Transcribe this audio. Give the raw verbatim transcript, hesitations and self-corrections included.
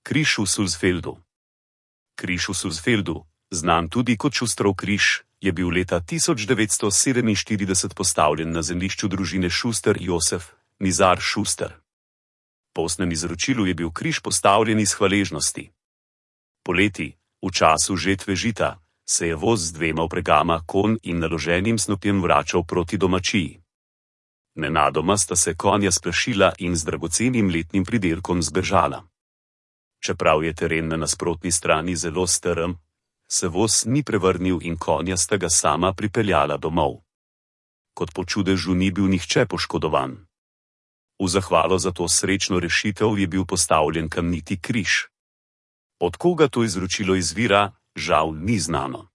Križ v Sulzfeldu. Križ v Sulzfeldu, znan tudi kot Šusterov križ, je bil leta tisoč devetsto sedeminštirideset postavljen na zemljišču družine Šuster Josef Nizar Šuster. Po ustnem izročilu je bil križ postavljen iz hvaležnosti. Poleti, v času žetve žita, se je voz z dvema vpregama konj in naloženim snopjem vračal proti domačiji. Nenadoma sta se konja splašila in z dragocenim letnim pridelkom zbežala. Čeprav je teren na nasprotni strani zelo strm, se voz ni prevrnil in konja sta ga sama pripeljala domov. Kot po čudežu ni bil nihče poškodovan. V zahvalo za to srečno rešitev je bil postavljen kamniti križ. Od koga to izročilo izvira, žal ni znano.